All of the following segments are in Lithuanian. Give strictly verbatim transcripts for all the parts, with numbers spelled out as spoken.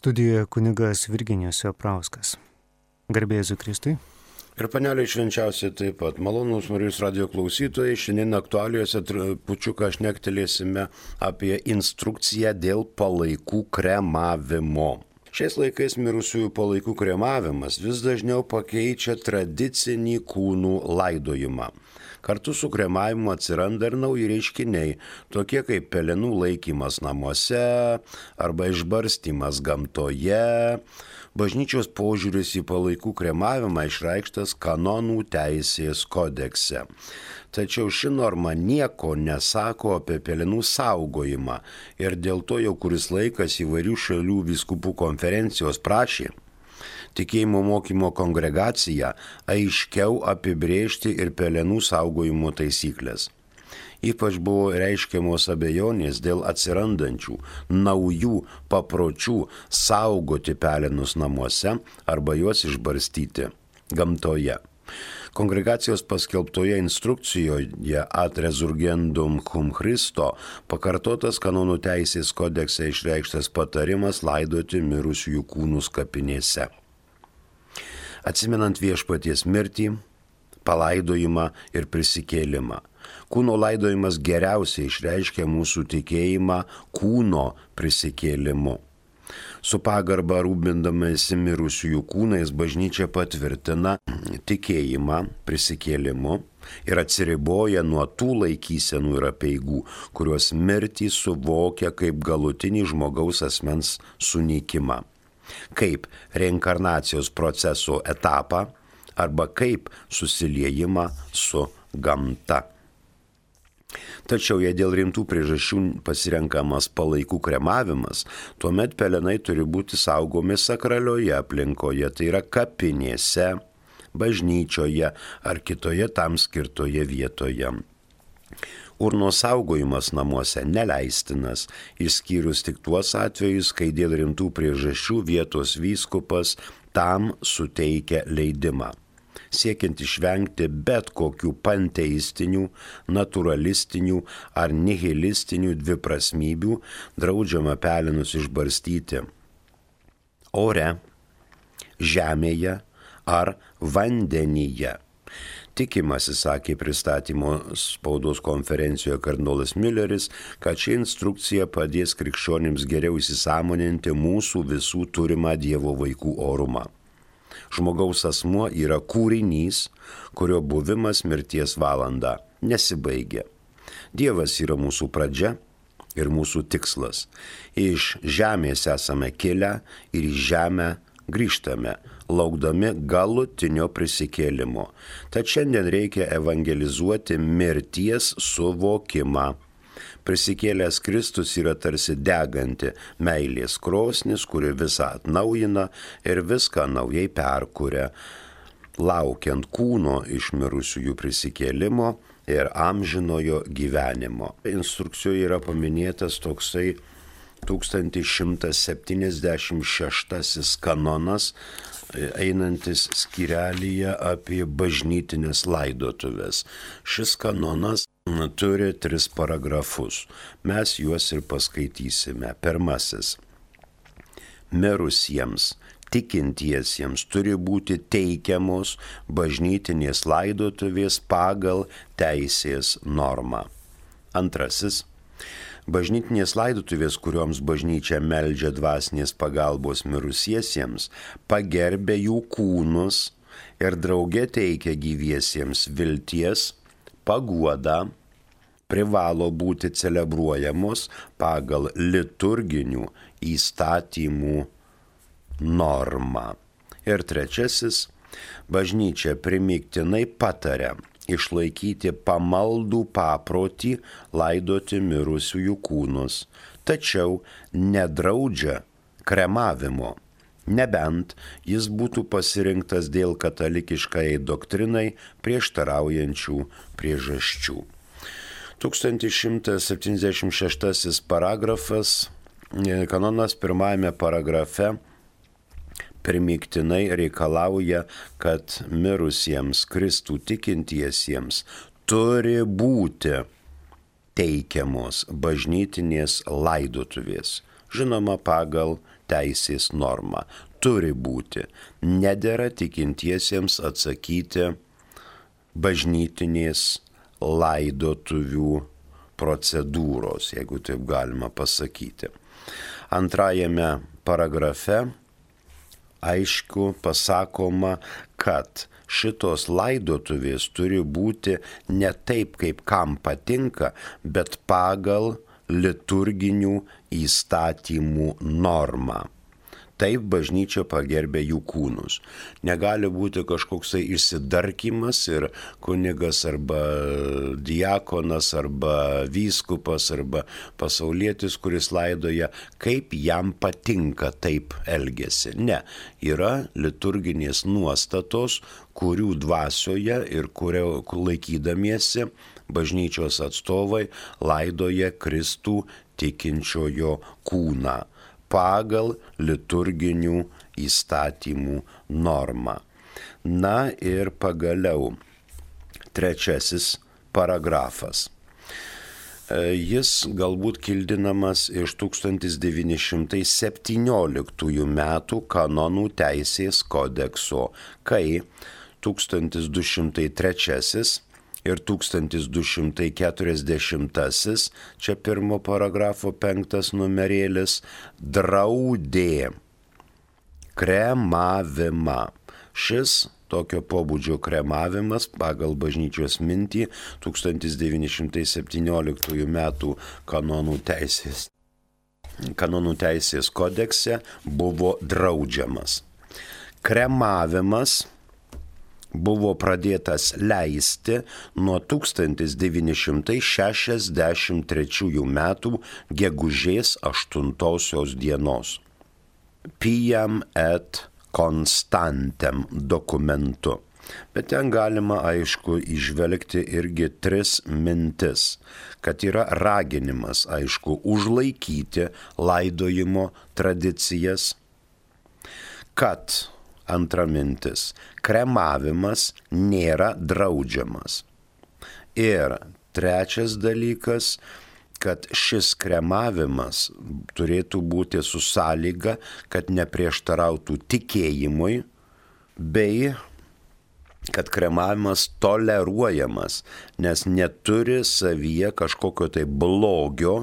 Studijoje kunigas Virginijus Joprauskas. Garbė Jėzui Kristui. Ir paneliai švenčiausiai taip pat. Malonūs Marijos radijo klausytojai, šiandien aktualijose trupučiuką šnektelėsime apie instrukciją dėl palaikų kremavimo. Šiais laikais mirusiųjų palaikų kremavimas vis dažniau pakeičia tradicinį kūnų laidojimą. Kartu su kremavimu atsiranda ir nauji reiškiniai, tokie kaip pelenų laikymas namuose arba išbarstymas gamtoje. Bažnyčios požiūris į palaikų kremavimą išreikštas kanonų teisės kodekse. Tačiau ši norma nieko nesako apie pelenų saugojimą ir dėl to jau kuris laikas įvairių šalių vyskupų konferencijos prašė tikėjimo mokymo kongregaciją aiškiau apibrėžti ir pelenų saugojimo taisyklės. Ypač buvo reiškiamos abejonės dėl atsirandančių naujų papročių saugoti pelenus namuose arba juos išbarstyti gamtoje. Kongregacijos paskelbtoje instrukcijoje Ad Resurgendum cum Christo pakartotas kanonų teisės kodekse išreikštas patarimas laidoti mirusiųjų kūnus kapinėse. Atsimenant viešpaties mirtį, palaidojimą ir prisikėlimą. Kūno laidojimas geriausiai išreiškia mūsų tikėjimą kūno prisikėlimu. Su pagarba rūpindamasi mirusiųjų kūnais bažnyčia patvirtina tikėjimą prisikėlimu ir atsiriboja nuo tų laikysenų ir apeigų, kurios mirtį suvokia kaip galutinį žmogaus asmens sunykimą, kaip reinkarnacijos proceso etapą arba kaip susiliejimą su gamta. Tačiau jei dėl rimtų priežasčių pasirenkamas palaikų kremavimas, tuomet pelenai turi būti saugomi sakralioje aplinkoje, tai yra kapinėse, bažnyčioje ar kitoje tam skirtoje vietoje. Urnos saugojimas namuose neleistinas, išskyrus tik tuos atvejus, kai dėl rimtų priežasčių vietos vyskupas tam suteikia leidimą. Siekiant išvengti bet kokių panteistinių, naturalistinių ar nihilistinių dviprasmybių, draudžiama pelenus išbarstyti ore, žemėje ar vandenyje. Tikimasi, sakė pristatymo spaudos konferencijoje kardinolas Milleris, kad ši instrukcija padės krikščionims geriau įsisąmoninti mūsų visų turimą Dievo vaikų orumą. Žmogaus asmuo yra kūrinys, kurio buvimas mirties valanda nesibaigia. Dievas yra mūsų pradžia ir mūsų tikslas. Iš žemės esame kilę ir į žemę grįžtame, laukdami galutinio prisikėlimo. Tad šiandien reikia evangelizuoti mirties suvokimą. Prisikėlęs Kristus yra tarsi deganti meilės krosnis, kuri visą atnaujina ir viską naujai perkuria, laukiant kūno iš mirusiųjų prisikėlimo ir amžinojo gyvenimo. Instrukcijoje yra paminėtas toksai tūkstantis šimtas septyniasdešimt šeštasis kanonas, einantis skyrelyje apie bažnytinės laidotuvės. Šis kanonas turi tris paragrafus. Mes juos ir paskaitysime. Pirmasis. Mirusiems, tikintiesiems turi būti teikiamos bažnytinės laidotuvės pagal teisės normą. Antrasis. Bažnytinės laidotuvės, kurioms bažnyčia meldžia dvasinės pagalbos mirusiesiems, pagerbia jų kūnus ir drauge teikia gyviesiems vilties, paguodą, privalo būti celebruojamos pagal liturginių įstatymų normą. Ir trečiasis, bažnyčia primygtinai pataria išlaikyti pamaldų paprotį laidoti mirusiųjų kūnus, tačiau nedraudžia kremavimo, nebent jis būtų pasirinktas dėl katalikiškai doktrinai prieštaraujančių priežasčių. tūkstantis šimtas septyniasdešimt šeštasis paragrafas, kanonas pirmajame paragrafe primygtinai reikalauja, kad mirusiems Kristų tikintiesiems turi būti teikiamos bažnytinės laidotuvės, žinoma pagal teisės norma. Turi būti. Nedera tikintiesiems atsakyti bažnytinės laidotuvių procedūros, jeigu taip galima pasakyti. Antrajame paragrafe aišku pasakoma, kad šitos laidotuvės turi būti ne taip, kaip kam patinka, bet pagal liturginių įstatymų normą. Taip bažnyčia pagerbė jų kūnus. Negali būti kažkoksai išsidarkymas ir kunigas arba diakonas arba vyskupas arba pasaulietis, kuris laidoja, kaip jam patinka taip elgesi. Ne, yra liturginės nuostatos, kurių dvasioje ir kurio laikydamiesi bažnyčios atstovai laidoja Kristų tikinčiojo kūną pagal liturginių įstatymų normą. Na ir pagaliau trečiasis paragrafas. Jis galbūt kildinamas iš tūkstantis devyni šimtai septynioliktųjų metų kanonų teisės kodekso, kai tūkstantis du šimtai trečiasis ir tūkstantis du šimtai keturiasdešimtasis, čia pirmo paragrafo penktas numerėlis, draudė kremavimą. Šis tokio pobūdžio kremavimas pagal bažnyčios mintį tūkstantis devyni šimtai septynioliktųjų metų kanonų teisės, kanonų teisės kodekse buvo draudžiamas. Kremavimas buvo pradėtas leisti nuo tūkstantis devyni šimtai šešiasdešimt trečiųjų metų gegužės aštuntosios dienos. Piam et constantem dokumentu. Bet ten galima aišku įžvelgti irgi tris mintis, kad yra raginimas aišku užlaikyti laidojimo tradicijas, kad antra mintis, kremavimas nėra draudžiamas. Ir trečias dalykas, kad šis kremavimas turėtų būti su sąlyga, kad neprieštarautų tikėjimui, bei kad kremavimas toleruojamas, nes neturi savyje kažkokio tai blogio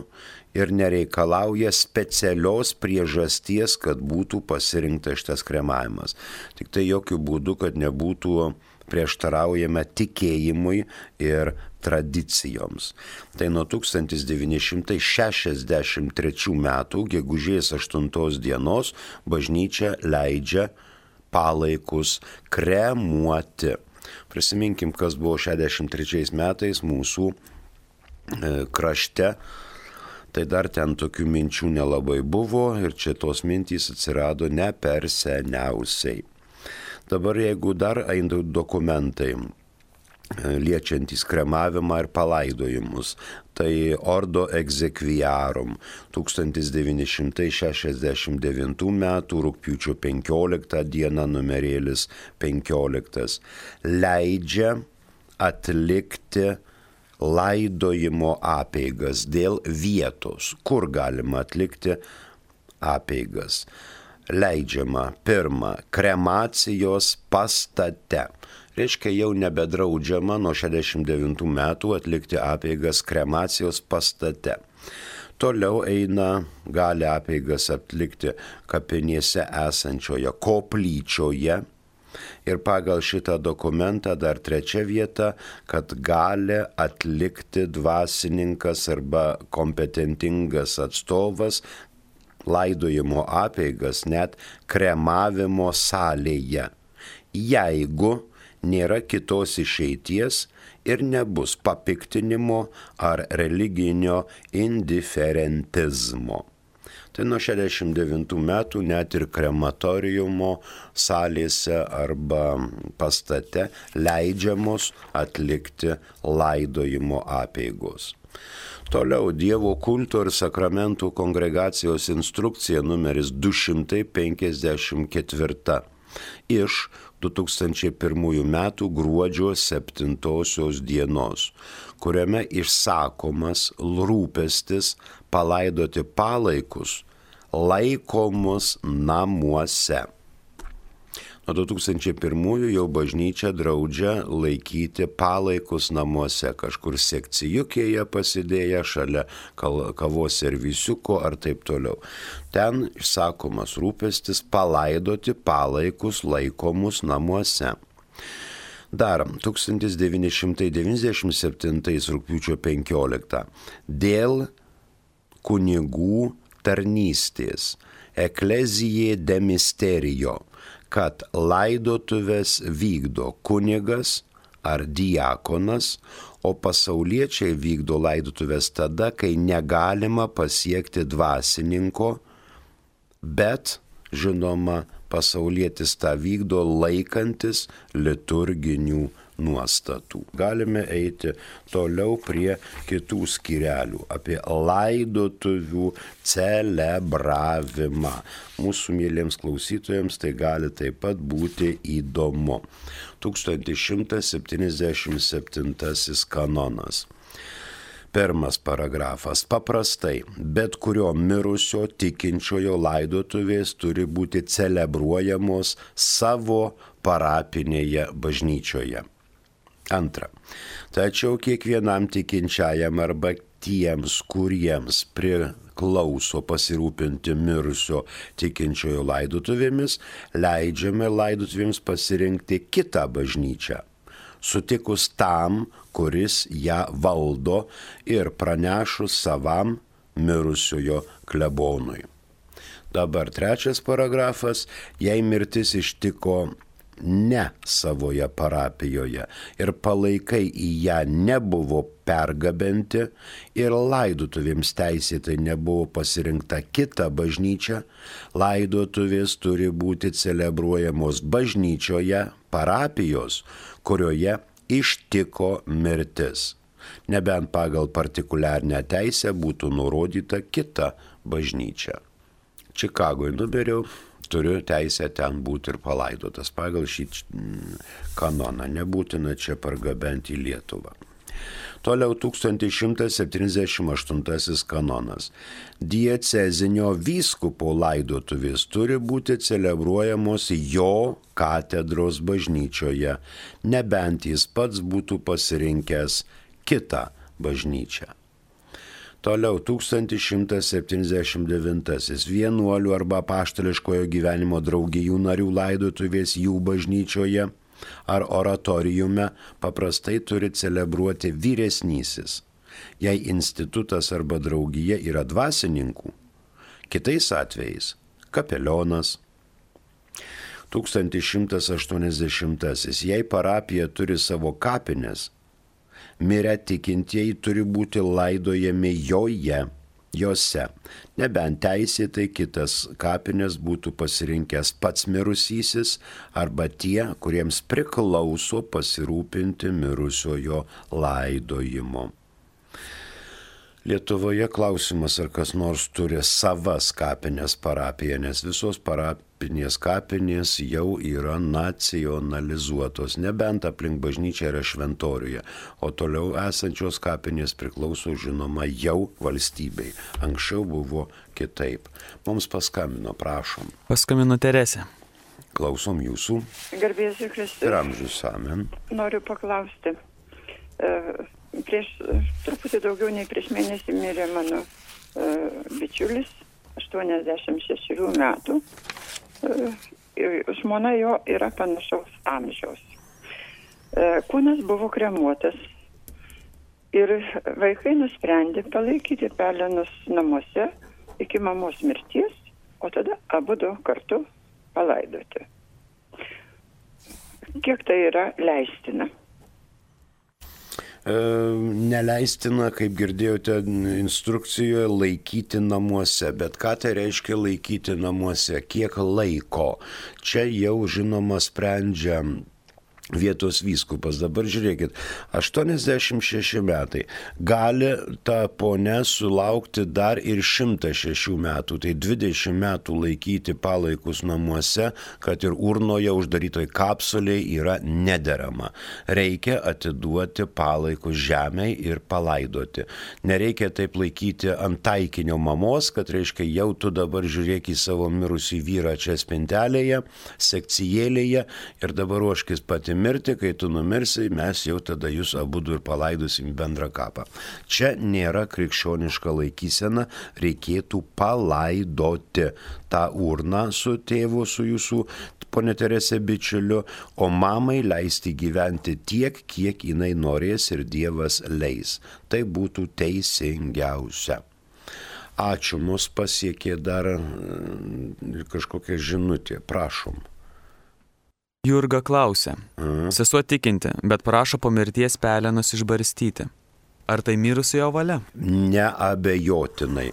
ir nereikalauja specialios priežasties, kad būtų pasirinktas šitas kremavimas. Tik tai jokių būdų, kad nebūtų prieštaraujama tikėjimui ir tradicijoms. Tai nuo tūkstantis devyni šimtai šešiasdešimt trečių metų gegužės aštuntos dienos bažnyčia leidžia palaikus kremuoti. Prisiminkim, kas buvo šešiasdešimt trečiais metais mūsų e, krašte. Tai dar ten tokių minčių nelabai buvo ir čia tos mintys atsirado ne per seniausiai. Dabar jeigu dar eina dokumentai liečiantys kremavimą ir palaidojimus, tai Ordo Exequiarum tūkstantis devyni šimtai šešiasdešimt devintų metų rugpjūčio penkioliktą dieną numerėlis penkioliktas leidžia atlikti laidojimo apeigas dėl vietos, kur galima atlikti apeigas. Leidžiama pirma kremacijos pastate. Reiškia, jau nebedraudžiama nuo šešiasdešimt devintų metų atlikti apeigas kremacijos pastate. Toliau eina, gali apeigas atlikti kapinėse esančioje koplyčioje. Ir pagal šitą dokumentą dar trečia vieta, kad gali atlikti dvasininkas arba kompetentingas atstovas laidojimo apeigas net kremavimo salėje, jeigu nėra kitos išeities ir nebus papiktinimo ar religinio indiferentizmo. Tai nuo šešiasdešimt devintų metų net ir krematoriumo salėse arba pastate leidžiamos atlikti laidojimo apeigos. Toliau Dievo kulto ir sakramentų kongregacijos instrukcija numeris du šimtai penkiasdešimt keturi iš du tūkstančiai pirmųjų metų gruodžio septintosios dienos, kuriame išsakomas rūpestis palaidoti palaikus laikomus namuose. Nuo du tūkstančiai pirmųjų jau bažnyčia draudžia laikyti palaikus namuose, kažkur sekcijukėje pasidėję šalia kavos servisiuko ar taip toliau. Ten išsakomas rūpestis palaidoti palaikus laikomus namuose. Dar tūkstantis devyni šimtai devyniasdešimt septintais rugpjūčio penkioliktą dėl kunigų tarnystės Ecclesiae de Mysterio, kad laidotuvės vykdo kunigas ar diakonas, o pasauliečiai vykdo laidotuvės tada, kai negalima pasiekti dvasininko, bet, žinoma, pasaulietis tą vykdo laikantis liturginių nuostatų. Galime eiti toliau prie kitų skyrelių apie laidotuvių celebravimą. Mūsų mėlyms klausytojams tai gali taip pat būti įdomu. tūkstantis šimtas septyniasdešimt septintasis kanonas. Pirmas paragrafas. Paprastai, bet kurio mirusio tikinčiojo laidotuvės turi būti celebruojamos savo parapinėje bažnyčioje. Antra. Tačiau kiekvienam tikinčiajam arba tiems, kuriems priklauso pasirūpinti mirusio tikinčiojo laidotuvėmis, leidžiame laidotuvėms pasirinkti kitą bažnyčią, sutikus tam, kuris ją valdo ir pranešus savam mirusiojo klebonui. Dabar trečias paragrafas. Jei mirtis ištiko ne savoje parapijoje ir palaikai į ją nebuvo pergabenti ir laidotuvėms teisėtai nebuvo pasirinkta kita bažnyčia, laidotuvės turi būti celebruojamos bažnyčioje parapijos, kurioje ištiko mirtis, nebent pagal partikuliarnę teisę būtų nurodyta kita bažnyčia. Čikagoje nuberiau, turiu teisę ten būti ir palaidotas pagal šį kanoną, nebūtina čia pargabenti į Lietuvą. Toliau tūkstantis šimtas septyniasdešimt aštuntasis kanonas. Diecezinio vyskupo laidotuvės turi būti celebruojamos jo katedros bažnyčioje, nebent jis pats būtų pasirinkęs kitą bažnyčią. Toliau tūkstantis šimtas septyniasdešimt devintasis. Vienuolių arba apaštališkojo gyvenimo draugijų narių laidotuvės jų bažnyčioje ar oratoriume paprastai turi celebruoti vyresnysis, jei institutas arba draugija yra dvasininkų, kitais atvejais kapelionas. tūkstantis šimtas aštuoniasdešimtasis. Jei parapija turi savo kapines, mirę tikintieji turi būti laidojami joje, jose, nebent teisėtai kitas kapines būtų pasirinkęs pats mirusysis arba tie, kuriems priklauso pasirūpinti mirusiojo laidojimo. Lietuvoje klausimas, ar kas nors turi savas kapinės parapiją, nes visos parapinės kapinės jau yra nacionalizuotos, nebent aplink bažnyčią yra šventoriuje, o toliau esančios kapinės priklauso, žinoma, jau valstybei. Anksčiau buvo kitaip. Mums paskambino, prašom. Paskambino Teresė. Klausom jūsų. Garbėsiu Kristus. Ir amžius amen. Noriu paklausti. Uh, Prieš truputį daugiau nei prieš mėnesį mirė mano uh, bičiulis, aštuoniasdešimt šešių metų. Uh, žmona jo yra panašaus amžiaus. Uh, kūnas buvo kremuotas ir vaikai nusprendė palaikyti pelenus namuose iki mamos mirties, o tada abudu kartu palaidoti. Kiek tai yra leistina? Neleistina, kaip girdėjote instrukcijoje, laikyti namuose. Bet ką tai reiškia laikyti namuose? Kiek laiko? Čia jau, žinoma, sprendžia vietos vyskupas. Dabar žiūrėkit, aštuoniasdešimt šeši metai. Gali ta ponia sulaukti dar ir šimtą šešių metų. Tai dvidešimt metų laikyti palaikus namuose, kad ir urnoje uždarytoj kapsulėje yra nederama. Reikia atiduoti palaikus žemei ir palaidoti. Nereikia taip laikyti ant taikinio mamos, kad reiškia jau tu dabar žiūrėk į savo mirusį vyrą čia spintelėje, sekcijėlėje ir dabar ruoškis pati mirti, kai tu numirsi, mes jau tada jūs abudu ir palaidosim bendrą kapą. Čia nėra krikščioniška laikysena, reikėtų palaidoti tą urną su tėvu, su jūsų ponia Teresė bičiuliu, o mamai leisti gyventi tiek, kiek jinai norės ir Dievas leis. Tai būtų teisingiausia. Ačiū, mus pasiekė dar kažkokia žinutė, prašom. Jurga klausia. Mhm. Sesuo tikinti, bet prašo po mirties pelenus išbarstyti. Ar tai mirusiojo valia? Neabejotinai,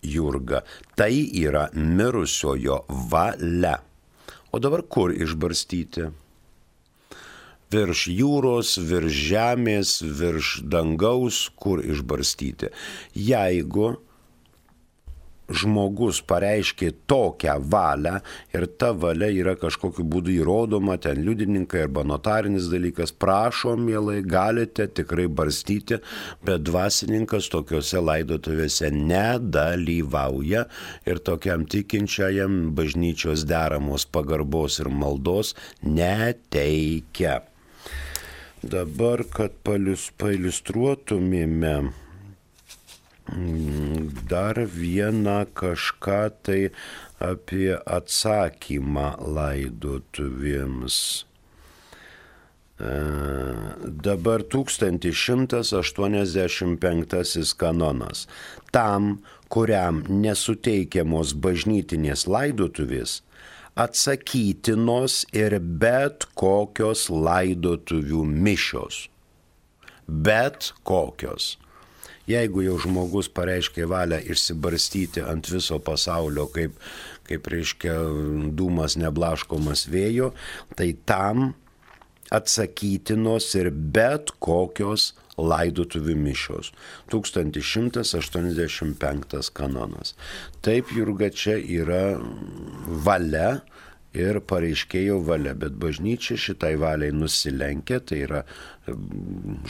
Jurga, tai yra mirusiojo valia. O dabar kur išbarstyti? Virš jūros, virš žemės, virš dangaus, kur išbarstyti? Jeigu žmogus pareiškė tokią valią ir ta valia yra kažkokiu būdu įrodoma, ten liudininkai arba notarinis dalykas, prašom, mielai, galite tikrai barstyti, bet dvasininkas tokiuose laidotuvėse nedalyvauja ir tokiam tikinčiajam bažnyčios deramos pagarbos ir maldos neteikia. Dabar, kad pailiustruotumėme dar vieną kažką tai apie atsakymą laidotuvėms. E, dabar tūkstantis šimtas aštuoniasdešimt penktasis kanonas. Tam, kuriam nesuteikiamos bažnytinės laidotuvės, atsakytinos ir bet kokios laidotuvių mišios. Bet kokios. Jeigu jau žmogus pareiškė valią išsibarstyti ant viso pasaulio, kaip, kaip reiškia dūmas neblaškomas vėjo, tai tam atsakytinos ir bet kokios laidotuvių mišios. tūkstantis šimtas aštuoniasdešimt penktas kanonas. Taip, Jurga, čia yra valia ir pareiškėjo valia, bet bažnyčia šitai valiai nusilenkia, tai yra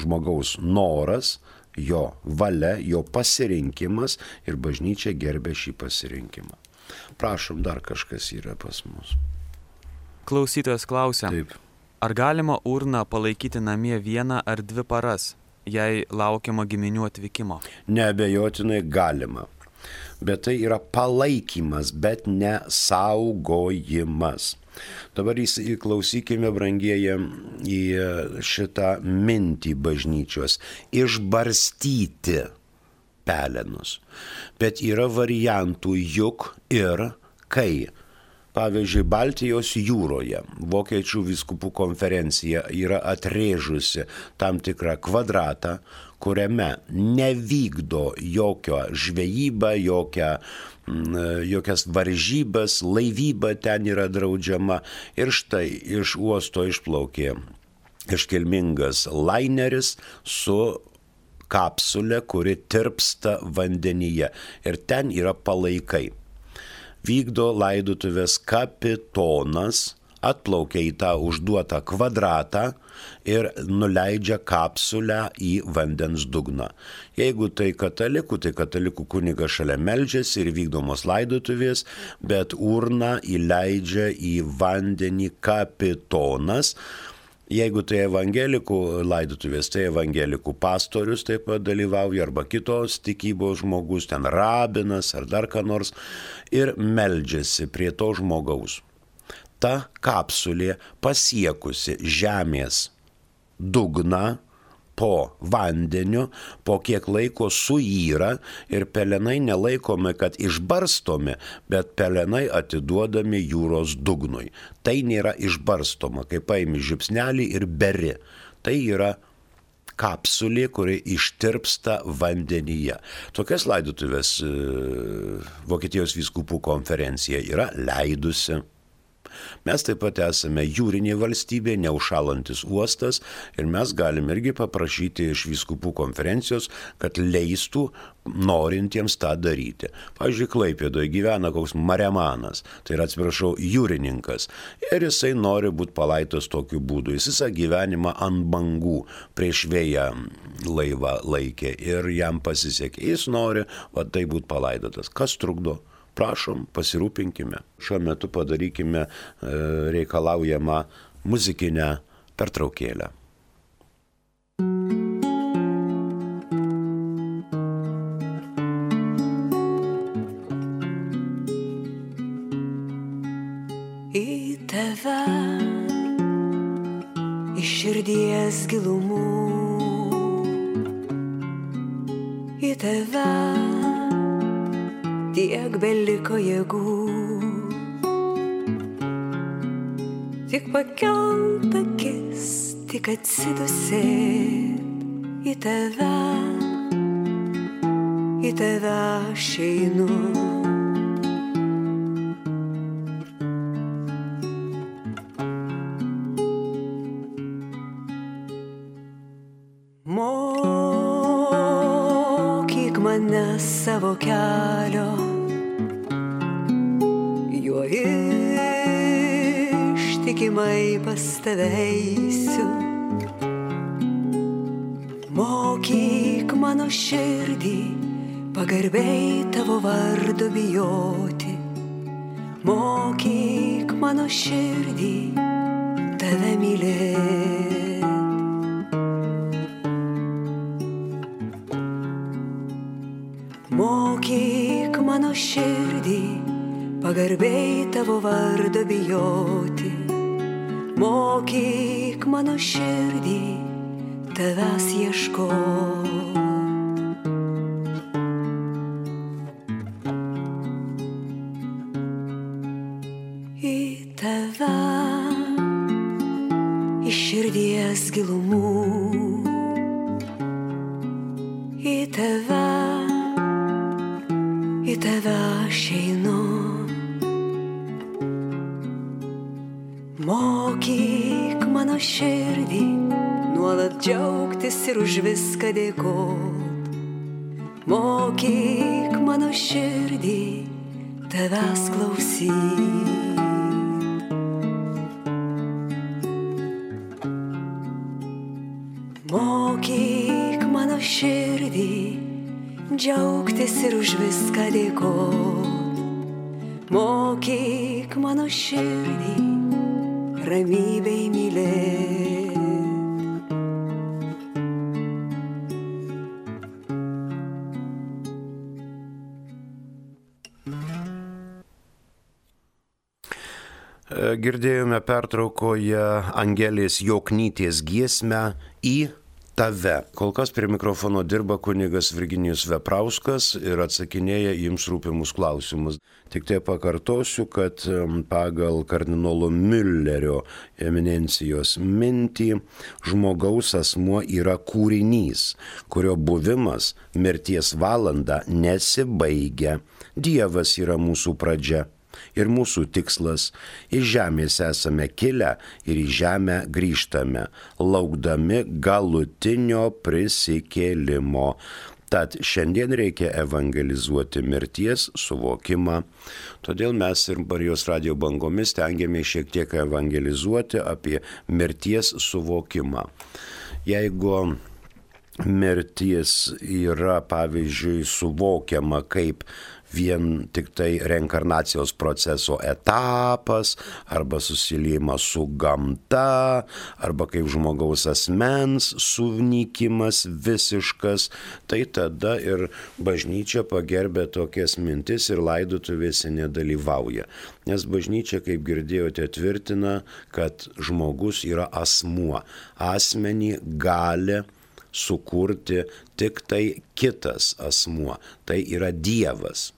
žmogaus noras, jo valia, jo pasirinkimas ir bažnyčia gerbė šį pasirinkimą. Prašom, dar kažkas yra pas mus. Klausytojas klausia. Taip. Ar galima urną palaikyti namie vieną ar dvi paras, jei laukiama giminių atvykimo? Neabejotinai galima. Bet tai yra palaikymas, bet ne saugojimas. Dabar įklausykime, brangieji, į šitą mintį bažnyčios. Išbarstyti pelenus. Bet yra variantų juk ir kai. Pavyzdžiui, Baltijos jūroje Vokiečių vyskupų konferencija yra atrėžusi tam tikrą kvadratą, kuriame nevykdo jokio žvejybą, jokia, jokias varžybas, laivyba ten yra draudžiama. Ir štai iš uosto išplaukė iškilmingas laineris su kapsulė, kuri tirpsta vandenyje. Ir ten yra palaikai. Vykdo laidotuvės kapitonas, atplaukia į tą užduotą kvadratą ir nuleidžia kapsulę į vandens dugną. Jeigu tai katalikų, tai katalikų kunigas šalia meldžiasi ir vykdomos laidotuvės, bet urną įleidžia į vandenį kapitonas. Jeigu tai evangelikų laidotuvės, tai evangelikų pastorius taip pat dalyvauja, arba kitos tikybos žmogus, ten rabinas ar dar ką nors, ir meldžiasi prie to žmogaus. Ta kapsulė pasiekusi žemės dugną po vandeniu, po kiek laiko suyra ir pelenai nelaikomi, kad išbarstomi, bet pelenai atiduodami jūros dugnui. Tai nėra išbarstoma, kaip paimi žipsnelį ir beri. Tai yra kapsulė, kuri ištirpsta vandenyje. Tokias laidotuvės Vokietijos vyskupų konferencija yra leidusi. Mes taip pat esame jūrinė valstybė, neužšalantis uostas ir mes galim irgi paprašyti iš vyskupų konferencijos, kad leistų norintiems tą daryti. Pavyzdžiui, Klaipėdoje gyvena koks maremanas, tai yra, atsiprašau, jūrininkas, ir jisai nori būti palaidotas tokiu būdu. Jis visą gyvenimą ant bangų prieš vėją laivą laikė ir jam pasisekė. Jis nori, va, tai būti palaidotas. Kas trukdo? Prašom, pasirūpinkime. Šiuo metu padarykime reikalaujamą muzikinę pertraukėlę. Į tave, iš širdies gilumų, į tave tiek beliko jėgų, tik pakelt akis, tik atsidusėt į tave, į tave aš einu. Mokyk mane savo kelio, juo ištikimai pas tave eisiu. Mokyk mano širdį pagarbiai tavo vardo bijoti. Mokyk mano širdį tave mylėti. Mokyk mano širdį pagarbiai tavo vardo bijoti. Mokyk mano širdį tavęs ieškoti. Į tave, iš širdies gilumų, į tave, į tave aš einu. Mokyk mano širdį nuolat džiaugtis ir už viską dėkot. Mokyk mano širdį tavęs klausyt. Mokyk mano širdį džiaugtis ir už viską dėkot. Mokyk mano širdį ramybei mylėt. Girdėjome pertraukoje Angelės Joknytės giesmę Į tave. Kol kas prie mikrofono dirba kunigas Virginijus Veprauskas ir atsakinėja jums rūpimus klausimus. Tik tai pakartosiu, kad pagal kardinolo Müllerio eminencijos mintį žmogaus asmuo yra kūrinys, kurio buvimas mirties valandą nesibaigia. Dievas yra mūsų pradžia ir mūsų tikslas. Iš žemės esame kilę ir į žemę grįžtame, laukdami galutinio prisikėlimo. Tad šiandien reikia evangelizuoti mirties suvokimą. Todėl mes ir Marijos radijo bangomis stengiamės šiek tiek evangelizuoti apie mirties suvokimą. Jeigu mirtis yra, pavyzdžiui, suvokiama kaip vien tik tai reinkarnacijos proceso etapas, arba susiliejimas su gamta, arba kaip žmogaus asmens sunykimas visiškas, tai tada ir bažnyčia pagerbė tokias mintis ir laidotuvėse nedalyvauja. Nes bažnyčia, kaip girdėjote, tvirtina, kad žmogus yra asmuo. Asmenį gali sukurti tik tai kitas asmuo, tai yra Dievas.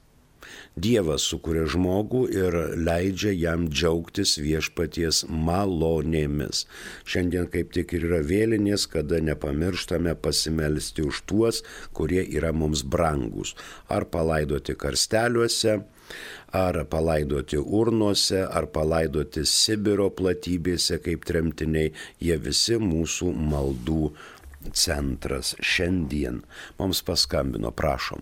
Dievas sukuria žmogų ir leidžia jam džiaugtis viešpaties malonėmis. Šiandien kaip tik ir yra vėlinės, kada nepamirštame pasimelsti už tuos, kurie yra mums brangus. Ar palaidoti karsteliuose, Ar palaidoti urnose, ar palaidoti Sibiro platybėse kaip tremtiniai, jie visi mūsų maldų centras šiandien. Mums paskambino, prašom.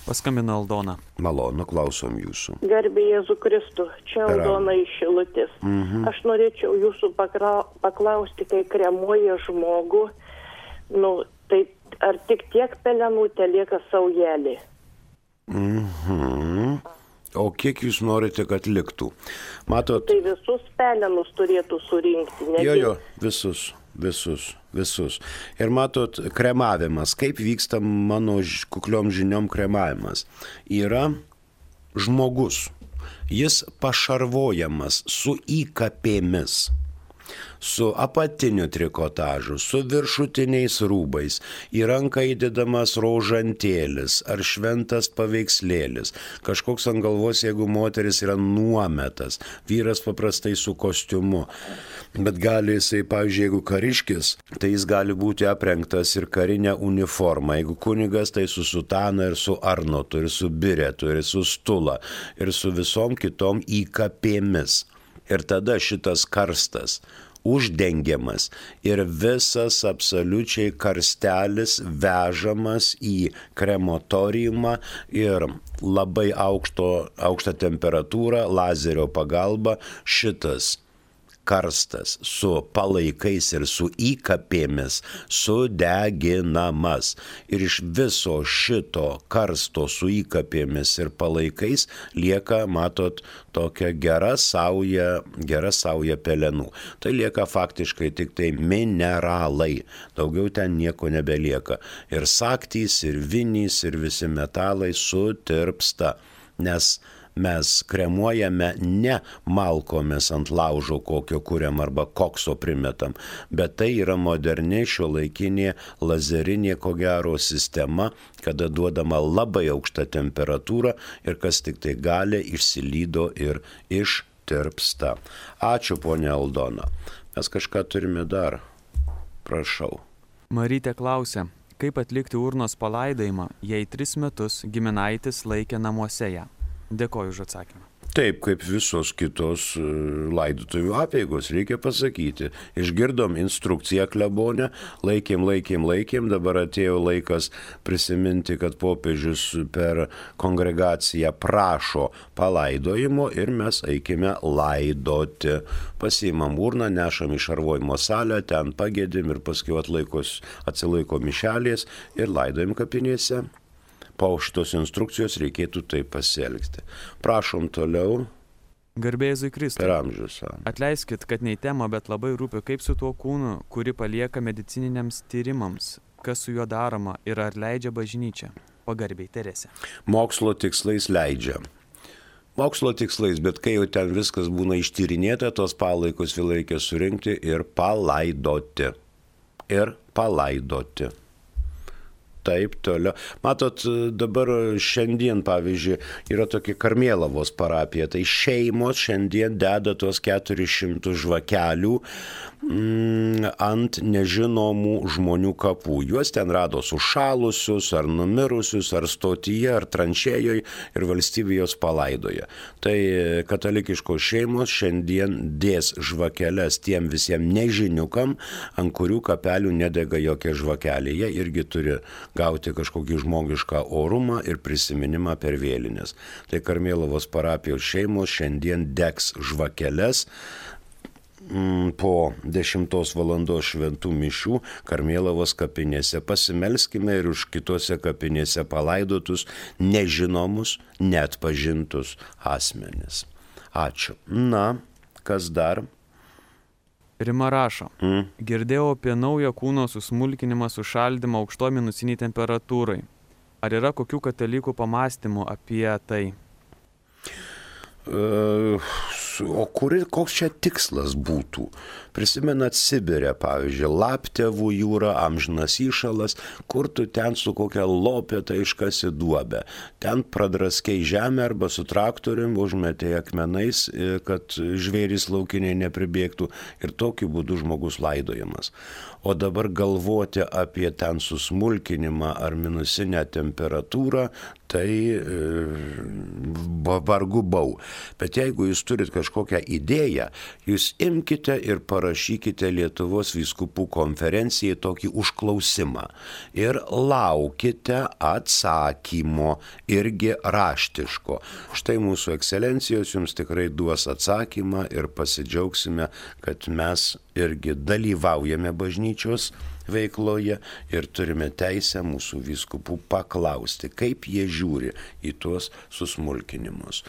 Paskambino Aldona. Malonu, klausom jūsų. Garbė Jėzų Kristų, čia Per Aldona iš Šilutės. Mhm. Aš norėčiau jūsų pakra... paklausti, kai kremuoja žmogų, nu, tai ar tik tiek pelenų telieka saujelė? Mhm. O kiek jūs norite, kad liktų? Matot, Tai visus pelenus turėtų surinkti, ne jo, tik- jo, visus, visus, visus. Ir matot, kremavimas, kaip vyksta mano ž- kukliom žiniom kremavimas. Yra žmogus, jis pašarvojamas su įkapėmis, su apatiniu trikotažu, su viršutiniais rūbais, į ranką įdedamas rožantėlis ar šventas paveikslėlis, kažkoks ant galvos, jeigu moteris yra nuometas, vyras paprastai su kostiumu, bet gali jisai, pavyzdžiui, jeigu kariškis, tai jis gali būti aprengtas ir karinę uniformą, jeigu kunigas, tai su sutana ir su arnotu, ir su biretu, ir su stula, ir su visom kitom įkapėmis. Ir tada šitas karstas uždengiamas ir visas absoliučiai karstelis vežamas į krematoriumą ir labai aukšto, aukštą temperatūrą, lazerio pagalba šitas karstas su palaikais ir su įkapėmis sudeginamas. Ir iš viso šito karsto su įkapėmis ir palaikais lieka, matot, tokia gera sauja, gera sauja pelenų. Tai lieka faktiškai tik tai mineralai. Daugiau ten nieko nebelieka. Ir saktys, ir vinys, ir visi metalai sutirpsta. Nes mes kremuojame ne malkomis ant laužo kokio kuriam arba kokso primetam, bet tai yra moderni šiuolaikinė lazerinė ko gero sistema, kada duodama labai aukšta temperatūra ir kas tik tai gali išsilydo ir ištirpsta. Ačiū, ponia Aldona. Mes kažką turime dar. Prašau. Marytė klausė, kaip atlikti urnos palaidojimą, jei tris metus giminaitis laikė namuose ją. Dėkoju už atsakymą. Taip, kaip visos kitos laidotuvių apeigos, reikia pasakyti. Išgirdom instrukciją klebonę, laikėm, laikėm, laikėm, dabar atėjo laikas prisiminti, kad popiežius per kongregaciją prašo palaidojimo ir mes eikime laidoti. Pasiimam urną, nešam į šarvojimo salę, ten pagėdim ir paskui atlaikos, atsilaiko mišelės ir laidojim kapinėse. Po šitos instrukcijos reikėtų taip pasielgti. Prašom toliau. Garbė Jėzui Kristui. Per amžius. Atleiskit, kad ne į temą, bet labai rūpi, kaip su tuo kūnu, kuri palieka medicininiams tyrimams, kas su juo daroma ir ar leidžia bažnyčia. Pagarbiai, Teresė. Mokslo tikslais leidžia. Mokslo tikslais, bet kai jau ten viskas būna ištyrinėta, tos palaikus vėl reikia surinkti ir palaidoti. Ir palaidoti. Taip, toliau. Matot, dabar šiandien, pavyzdžiui, yra tokia Karmėlavos parapija, tai šeimos šiandien deda tuos keturis šimtus žvakelių mm, ant nežinomų žmonių kapų. Juos ten rado sušalusius, ar numirusius, ar stotyje, ar tranšėjoje ir valstybė jos palaidoja. Tai katalikiškos šeimos šiandien dės žvakeles tiem visiems nežiniukam, ant kurių kapelių nedega jokie žvakeliai. Jie irgi turi gauti kažkokį žmogišką orumą ir prisiminimą per vėlinės. Tai Karmėlavos parapijos šeimos šiandien degs žvakeles mm, po dešimtos valandos šventų mišių Karmėlavos kapinėse. Pasimelskime ir už kitose kapinėse palaidotus nežinomus, neatpažintus asmenis. Ačiū. Na, kas dar? Rima rašo, Mm. girdėjau apie naują kūno susmulkinimą, sušaldymą aukšto minusiniai temperatūrai. Ar yra kokių katalikų pamastymų apie tai? Uh, o kuri, koks čia tikslas būtų? Prisimenat Sibirę, pavyzdžiui, Laptevų jūra, amžinas įšalas, kur tu ten su kokia lopeta iškasi duobę. Ten pradraskiai žemę arba su traktorium užmetė akmenais, kad žvėrys laukiniai nepribėgtų ir tokiu būdu žmogus laidojamas. O dabar galvoti apie ten susmulkinimą ar minusinę temperatūrą, tai vargu bau. Bet jeigu jūs turit kažkokią idėją, jūs imkite ir parašykite Lietuvos vyskupų konferencijai tokį užklausimą ir laukite atsakymo irgi raštiško. Štai mūsų ekscelencijos jums tikrai duos atsakymą ir pasidžiaugsime, kad mes irgi dalyvaujame bažnyčios veikloje ir turime teisę mūsų vyskupų paklausti, kaip jie žiūri į tuos susmulkinimus.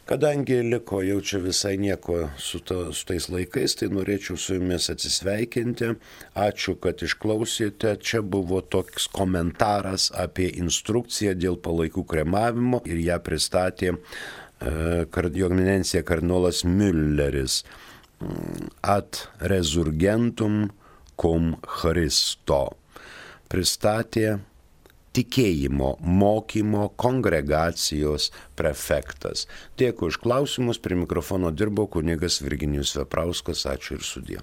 Kadangi liko jau čia visai nieko su, to, su tais laikais, tai norėčiau su jumis atsisveikinti. Ačiū, kad išklausėte. Čia buvo toks komentaras apie instrukciją dėl palaikų kremavimo ir ją pristatė e, jo eminencija kardinolas Mülleris. Ad resurgentum cum Christo. Pristatė tikėjimo mokymo kongregacijos prefektas. Dėkui už klausimus, prie mikrofono dirbo kunigas Virginijus Veprauskas, ačiū ir sudie.